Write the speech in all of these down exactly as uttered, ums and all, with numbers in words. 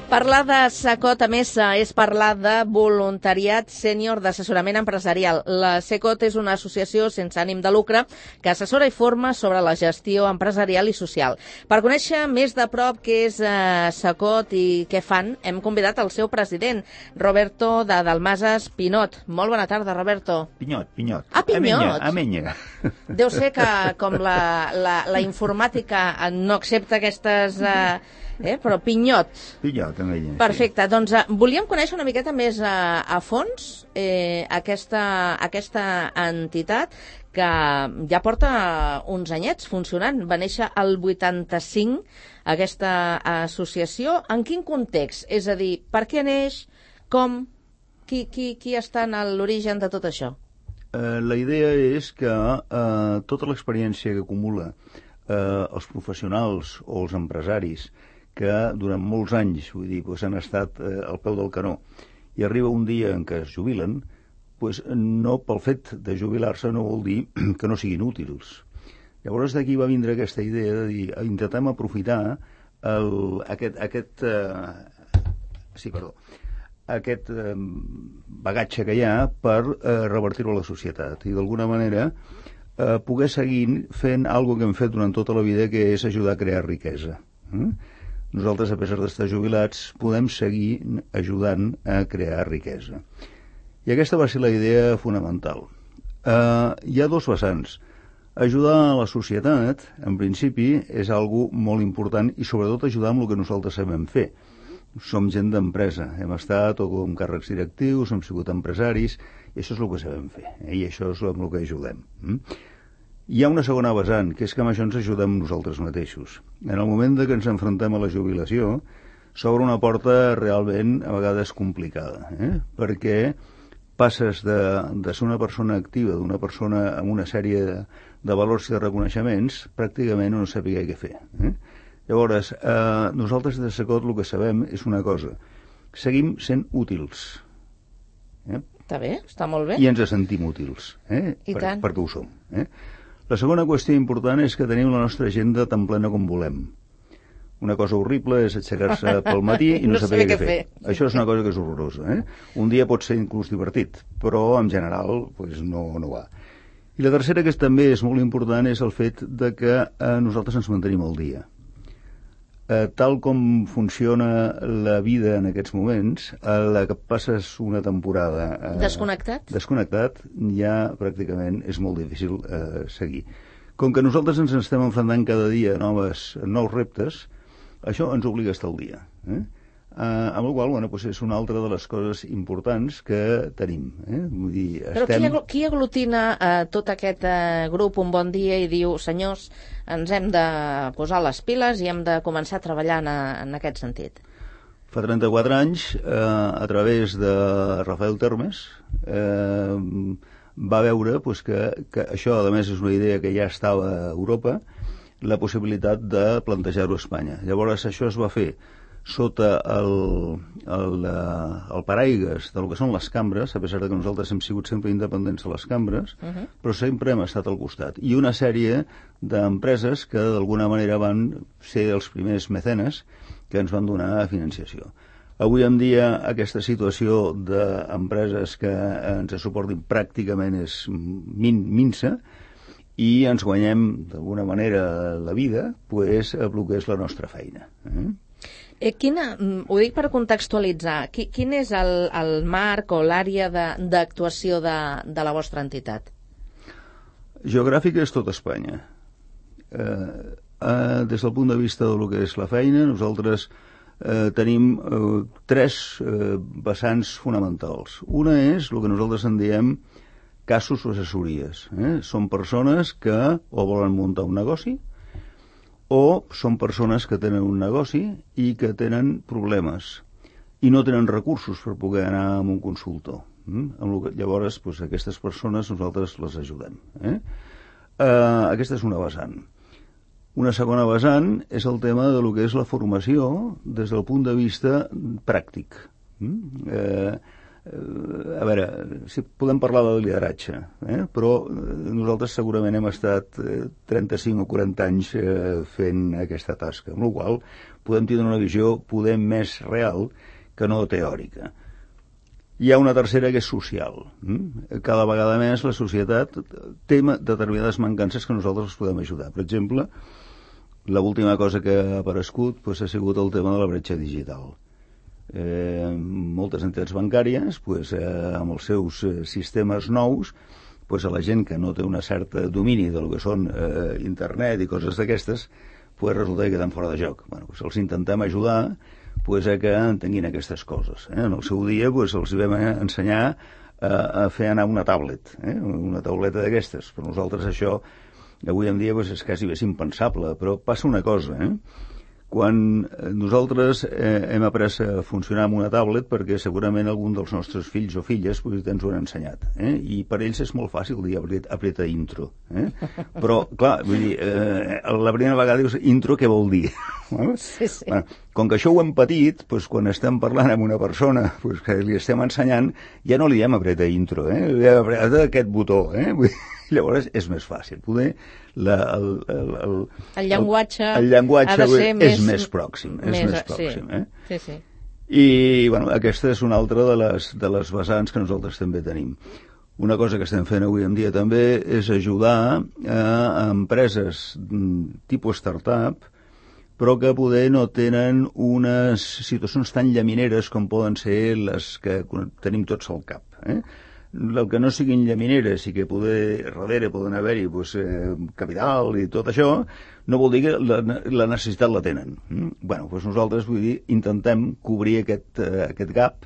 Parlar de SECOT, a més, és parlar de voluntariat sènior d'assessorament empresarial. La SECOT és una associació sense ànim de lucre que assessora i forma sobre la gestió empresarial i social. Per conèixer més de prop què és eh, SECOT i què fan, hem convidat el seu president, Roberto de Dalmases Pinot. Molt bona tarda, Roberto. Pinyot, Pinyot. Ah, Pinyot. Amenya, amenya. Deu ser que, com la, la, la informàtica no accepta aquestes... Eh, Eh, però Pinyot. Pinyot, amenya. Perfecte, sí. Doncs uh, volíem conèixer una miqueta més uh, a fons eh, aquesta, aquesta entitat que ja porta uns anyets funcionant. Va néixer el vuitanta-cinc aquesta associació. En quin context? És a dir, per què neix? Com? Qui, qui, qui està en l'origen de tot això? Uh, la idea és que uh, tota l'experiència que acumula uh, els professionals o els empresaris que durant molts anys, vull dir, pues, han estat eh, al peu del canó, i arriba un dia en què es jubilen, pues, no pel fet de jubilar-se no vol dir que no siguin útils. Llavors d'aquí va vindre aquesta idea de dir, intentem aprofitar el, aquest, aquest, eh, sí, perdó, aquest eh, bagatge que hi ha per eh, revertir-ho a la societat i d'alguna manera eh, poder seguir fent alguna que hem fet durant tota la vida, que és ajudar a crear riquesa. Mm? Nosaltres, a pesar d'estar jubilats, podem seguir ajudant a crear riquesa. I aquesta va ser la idea fonamental. Uh, hi ha dos vessants. Ajudar a la societat, en principi, és algo molt important i sobretot ajudar amb el que nosaltres sabem fer. Som gent d'empresa, hem estat o com càrrecs directius, hem sigut empresaris, i això és el que sabem fer, eh? I això és amb el que ajudem. Mm? Hi ha una segona vessant, que és que amb això ens ajudem nosaltres mateixos. En el moment de que ens enfrontem a la jubilació, s'obre una porta realment a vegades complicada, eh? Perquè passes de, de ser una persona activa, d'una persona amb una sèrie de, de valors i de reconeixements, pràcticament no sabia què fer. Eh? Llavors, eh, nosaltres de SECOT el que sabem és una cosa, seguim sent útils. Eh? Està bé, està molt bé. I ens sentim útils, eh? I per, tant. perquè ho som. Eh? La segona qüestió important és que tenim la nostra agenda tan plena com volem. Una cosa horrible és aixecar-se pel matí i no, no saber què fer. fer. Això és una cosa que és horrorosa. Eh? Un dia pot ser inclús divertit, però en general pues, no, no va. I la tercera, que també és molt important, és el fet de que eh, nosaltres ens mantenim al dia. Eh, tal com funciona la vida en aquests moments, a la que passes una temporada eh, desconnectat, desconnectat ja pràcticament és molt difícil eh, seguir. Com que nosaltres ens estem enfrontant cada dia a noves, nous reptes, això ens obliga a estar al dia. Eh? Eh, amb la qual cosa, bueno, pues és una altra de les coses importants que tenim. Eh? Vull dir, Però estem... qui, qui aglutina eh, tot aquest eh, grup un bon dia i diu, senyors, ens hem de posar les piles i hem de començar a treballar en, en aquest sentit? Fa trenta-quatre anys, eh, a través de Rafael Termes, eh, va veure pues, que, que això, a més, és una idea que ja estava a Europa, la possibilitat de plantejar-ho a Espanya. Llavors, això es va fer sota el, el, el paraigues del que són les cambres, a pesar de que nosaltres hem sigut sempre independents de les cambres, uh-huh. però sempre hem estat al costat. I una sèrie d'empreses que d'alguna manera van ser els primers mecenes que ens van donar financiació. Avui en dia aquesta situació d'empreses que ens suportin pràcticament és min, minsa i ens guanyem d'alguna manera la vida pues, a el que és la nostra feina. Eh? Eh, quina, ho dic per contextualitzar, qui, quin és el, el marc o l'àrea d'actuació de, de la vostra entitat? Geogràfica és tot Espanya. Eh, eh, des del punt de vista del que és la feina, nosaltres eh, tenim eh, tres eh, vessants fonamentals. Una és el que nosaltres en diem casos o assessories. Eh? Són persones que o volen muntar un negoci o són persones que tenen un negoci i que tenen problemes i no tenen recursos per poder anar a un consultor. Mm? Que, llavors, doncs, aquestes persones nosaltres les ajudem. Eh? Uh, aquesta és una vessant. Una segona vessant és el tema de lo que és la formació des del punt de vista pràctic. Mm? Eh, a veure, si podem parlar de lideratge, eh? però nosaltres segurament hem estat trenta-cinc o quaranta anys eh, fent aquesta tasca, amb la qual podem tenir una visió poder més real que no teòrica. Hi ha una tercera que és social. Cada vegada més la societat té determinades mancances que nosaltres els podem ajudar. Per exemple, l'última cosa que ha aparegut pues, ha sigut el tema de la bretxa digital. Eh, moltes entitats bancàries pues, eh, amb els seus eh, sistemes nous pues, a la gent que no té una certa domini del que són eh, internet i coses d'aquestes pues, resulta que queden fora de joc. Bueno, pues, els intentem ajudar pues, a que entenguin aquestes coses. Eh? En el seu dia pues, els vam ensenyar a, a fer anar una tablet, eh? una tauleta d'aquestes. Per nosaltres això avui en dia pues, és quasi bé impensable, però passa una cosa, eh? Quan nosaltres eh, hem après a funcionar amb una tablet perquè segurament algun dels nostres fills o filles pues, ens ho han ensenyat, eh? I per ells és molt fàcil dir apreta intro, eh? Però clar, vull dir, eh, la primera vegada dius intro què vol dir? Sí, sí. Bueno, com que això ho hem patit, pues, quan estem parlant amb una persona pues, que li estem ensenyant, ja no li diem apreta intro, eh? Li diem apreta aquest botó, eh? Vull dir, llavors és més fàcil poder la, el, el, el, el llenguatge, el, el llenguatge ha de ser és més, més pròxim és més, més pròxim sí. Eh? Sí, sí. I bueno, aquesta és una altra de les, de les vessants que nosaltres també tenim. Una cosa que estem fent avui en dia també és ajudar a, a empreses tipus startup però que poder no tenen unes situacions tan llamineres com poden ser les que tenim tots al cap, eh? El que no siguin llamineres i que poder, darrere poden haver-hi pues, eh, capital i tot això, no vol dir que la, la necessitat la tenen. Mm? Bueno, pues nosaltres vull dir, intentem cobrir aquest, eh, aquest gap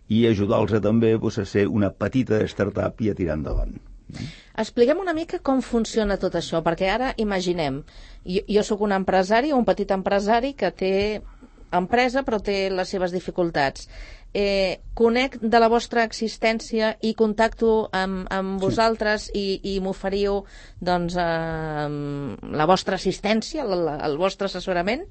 i ajudar-los a, també pues, a ser una petita startup i a tirar endavant. Mm? Expliquem una mica com funciona tot això, perquè ara imaginem, jo, jo sóc un empresari, un petit empresari que té empresa però té les seves dificultats. Eh, conec de la vostra existència i contacto amb, amb vosaltres sí. i, i m'oferiu doncs, eh, la vostra assistència, el, el vostre assessorament?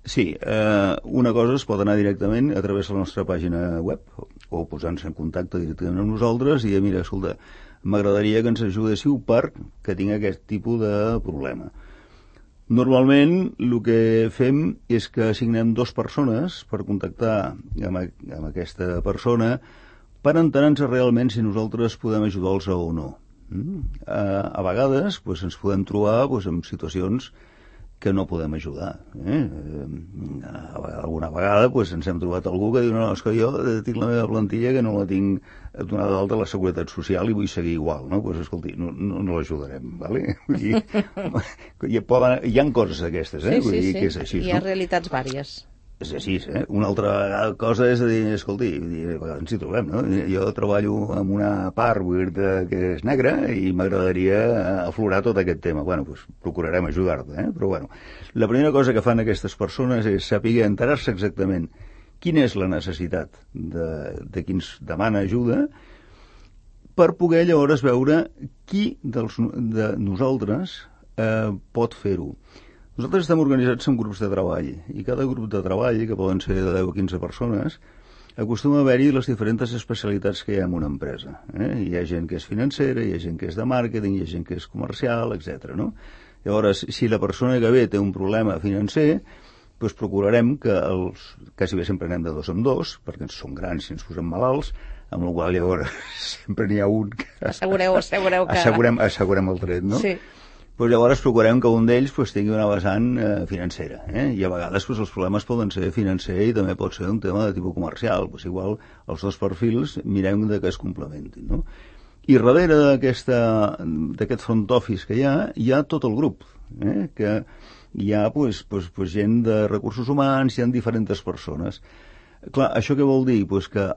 Sí, eh, una cosa es pot anar directament a través de la nostra pàgina web o posant-se en contacte directament amb nosaltres i dir, mira, escolta, m'agradaria que ens ajudéssiu per que tinc aquest tipus de problema. Normalment el que fem és que assignem dues persones per contactar amb, amb aquesta persona per entenar-nos realment si nosaltres podem ajudar-los o no. Mm? A, a vegades pues, ens podem trobar pues, en situacions que no podem ajudar. Eh? Alguna vegada pues, ens hem trobat algú que diu no, no, és que jo tinc la meva plantilla que no la tinc donada d'alta a la Seguretat Social i vull seguir igual. No? Pues, escolti, no, no, no l'ajudarem. Vale? Vull dir, hi, poden, hi ha coses d'aquestes, eh? Sí, Vull sí, dir sí. Que és així, hi ha no? realitats vàries. És així, eh? Una altra cosa és dir, escolti, ens hi trobem, no? Jo treballo en una part vull dir, que és negra i m'agradaria aflorar tot aquest tema. Bueno, doncs procurarem ajudar-te, eh? Però bueno, la primera cosa que fan aquestes persones és saber enterar-se exactament quina és la necessitat de, de qui ens demana ajuda per poder llavors veure qui dels, de nosaltres eh, pot fer-ho. Nosaltres estem organitzats en grups de treball i cada grup de treball, que poden ser de deu a quinze persones, acostuma a haver-hi les diferents especialitats que hi ha en una empresa. Eh? Hi ha gent que és financera, hi ha gent que és de màrqueting, hi ha gent que és comercial, etcètera. No? Llavors, si la persona que ve té un problema financer, doncs procurarem que els, quasi bé sempre anem de dos en dos, perquè ens som grans i ens posem malalts, amb la qual llavors sempre n'hi ha un que... Assegureu, assegureu que... Assegurem, assegurem el tret, no? Sí. Pues llavors procurem que un d'ells pues, tingui una vessant eh, financera. Eh? I a vegades pues, els problemes poden ser financer i també pot ser un tema de tipus comercial. Pues, igual els dos perfils mirem de que es complementin. No? I darrere d'aquest front office que hi ha, hi ha tot el grup. Eh? Que hi ha pues, pues, pues, gent de recursos humans, hi ha diferents persones. Clar, això què vol dir? Pues que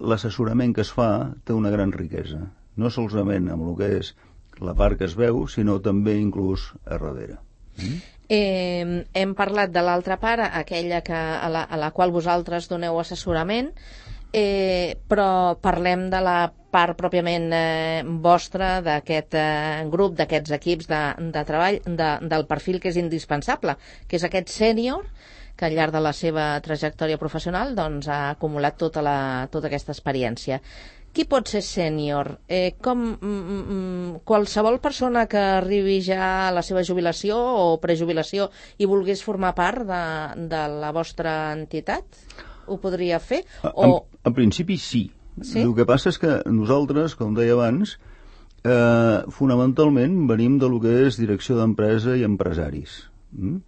l'assessorament que es fa té una gran riquesa. No solament amb el que és la part que es veu, sinó també inclús a darrere. Mm? Eh, hem parlat de l'altra part, aquella que, a, la, a la qual vosaltres doneu assessorament, eh, però parlem de la part pròpiament eh, vostra d'aquest eh, grup, d'aquests equips de, de treball, de, del perfil que és indispensable, que és aquest sènior que al llarg de la seva trajectòria professional doncs, ha acumulat tota, la, tota aquesta experiència. Qui pot ser sènior? Eh, com mm, qualsevol persona que arribi ja a la seva jubilació o prejubilació i volgués formar part de, de la vostra entitat, ho podria fer? O... En, en principi sí. Sí. El que passa és que nosaltres, com deia abans, eh, fonamentalment venim de lo que és direcció d'empresa i empresaris. Mm?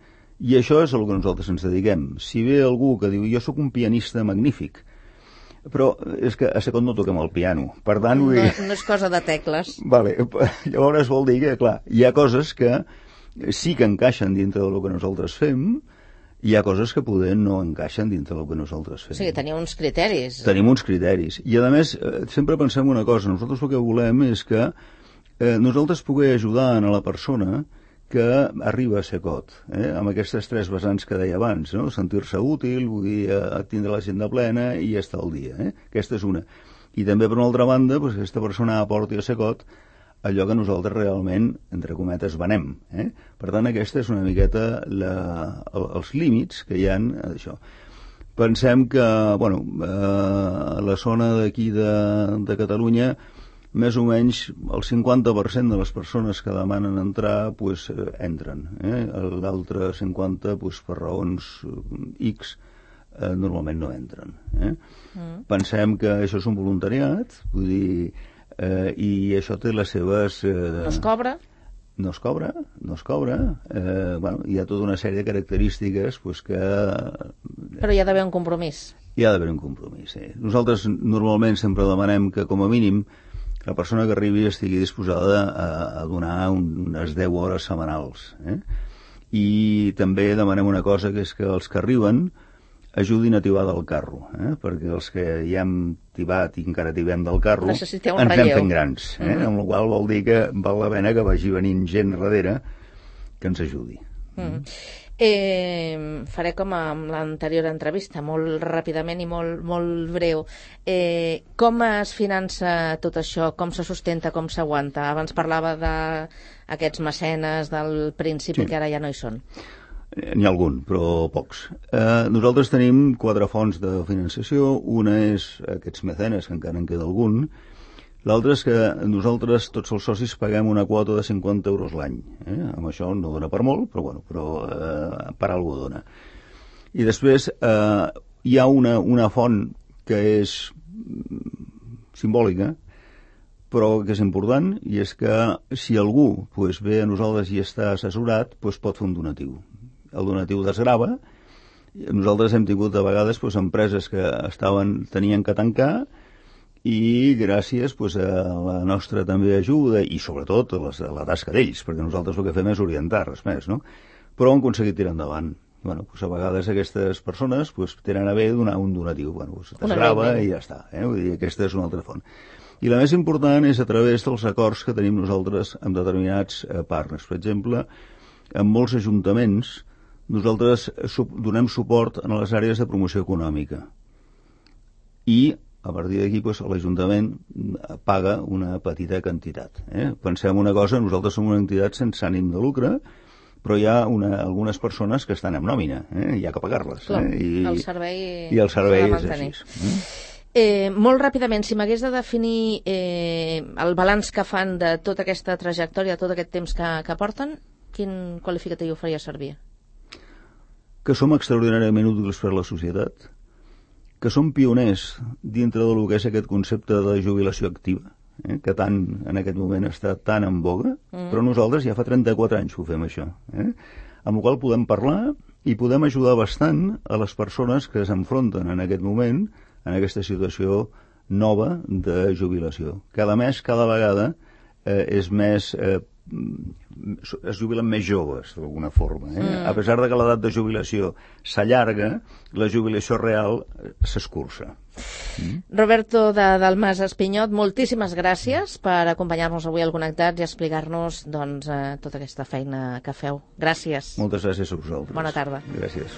I això és el que nosaltres ens dediquem. Si ve algú que diu jo sóc un pianista magnífic, però és que a Secot no toquem el piano. Per tant, no, vull... no és cosa de tecles. Vale. Llavors vol dir que, clar, hi ha coses que sí que encaixen dintre del que nosaltres fem, hi ha coses que poder no encaixen dintre del que nosaltres fem. O sigui, teniu uns criteris. Tenim uns criteris. I, a més, sempre pensem una cosa. Nosaltres el que volem és que eh, nosaltres poder ajudar a la persona que arriba a Secot, eh, amb aquestes tres vessants que deia abans, no? Sentir-se útil, vull dir, eh, tindre l'agenda plena i estar al dia. Eh? Aquesta és una. I també, per una altra banda, doncs, aquesta persona aporti a Secot allò que nosaltres realment, entre cometes, venem. Eh? Per tant, aquesta és una miqueta la, els límits que hi ha d'això. Pensem que, bueno, eh, a la zona d'aquí de, de Catalunya, més o menys el cinquanta per cent de les persones que demanen entrar pues, eh, entren. Eh? L'altre cinquanta pues, per raons X eh, normalment no entren. Eh? Mm. Pensem que això és un voluntariat, vull dir, eh, i això té les seves... Eh, no es cobra? No es cobra, no es cobra. Eh, bueno, hi ha tota una sèrie de característiques pues, que... Però hi ha d'haver un compromís. Hi ha d'haver un compromís, sí. Nosaltres normalment sempre demanem que, com a mínim, la persona que arribi estigui disposada a, a donar un, unes deu hores setmanals. Eh? I també demanem una cosa, que és que els que arriben ajudin a tibar del carro, eh? Perquè els que ja hem tibat i encara tibem del carro ens anem fent grans, eh? Mm-hmm. Amb la qual vol dir que val la pena que vagi venint gent darrere que ens ajudi. Mm. Eh, faré com amb l'anterior entrevista, molt ràpidament i molt, molt breu. Eh, com es finança tot això? Com se sustenta? Com s'aguanta? Abans parlava d'aquests mecenes del principi, sí, que ara ja no hi són. N'hi ha algun, però pocs. Eh, nosaltres tenim quatre fonts de finançació. Una és aquests mecenes, que encara en queda algun. L'altre és que nosaltres, tots els socis, paguem una quota de cinquanta euros l'any. Eh? Amb això no dona per molt, però, bueno, però eh, per alguna cosa dona. I després eh, hi ha una, una font que és simbòlica, però que és important, i és que si algú pues, ve a nosaltres i està assessorat, pues, pot fer un donatiu. El donatiu desgrava. Nosaltres hem tingut a vegades pues, empreses que estaven, tenien que tancar, i gràcies pues, a la nostra també ajuda i sobretot a, les, a la tasca d'ells, perquè nosaltres el que fem és orientar, res més, no? Però hem aconseguit tirar endavant. Bueno, pues, a vegades aquestes persones pues, tenen a bé donar un donatiu, bueno, pues, t'esgrava i ja està, eh? Vull dir, aquesta és una altra font. I la més important és a través dels acords que tenim nosaltres amb determinats eh, partners. Per exemple, en molts ajuntaments nosaltres donem suport a les àrees de promoció econòmica i a partir d'aquí pues, l'Ajuntament paga una petita quantitat. Eh? Pensem una cosa, nosaltres som una entitat sense ànim de lucre, però hi ha una, algunes persones que estan en nòmina, eh? Hi ha que pagar-les. Clar, eh? I, el servei, i el servei és així. Eh? Eh, molt ràpidament, si m'hagués de definir eh, el balanç que fan de tota aquesta trajectòria, tot aquest temps que, que porten, quin qualificatiu faria servir? Que som extraordinàriament útils per a la societat, que som pioners dintre del que és aquest concepte de jubilació activa, eh, que tant en aquest moment està tan en boga, mm. però nosaltres ja fa trenta-quatre anys que ho fem, això. Eh? Amb la qual podem parlar i podem ajudar bastant a les persones que s'enfronten en aquest moment en aquesta situació nova de jubilació. Cada mes, cada vegada, eh, és més... Eh, es jubilen més joves, d'alguna forma. Eh? Mm. A pesar de que l'edat de jubilació s'allarga, la jubilació real s'escurça. Mm. Roberto de Dalmas Espinyot, moltíssimes gràcies per acompanyar-nos avui al Connectats i explicar-nos doncs, eh, tota aquesta feina que feu. Gràcies. Moltes gràcies a vosaltres. Bona tarda. Gràcies.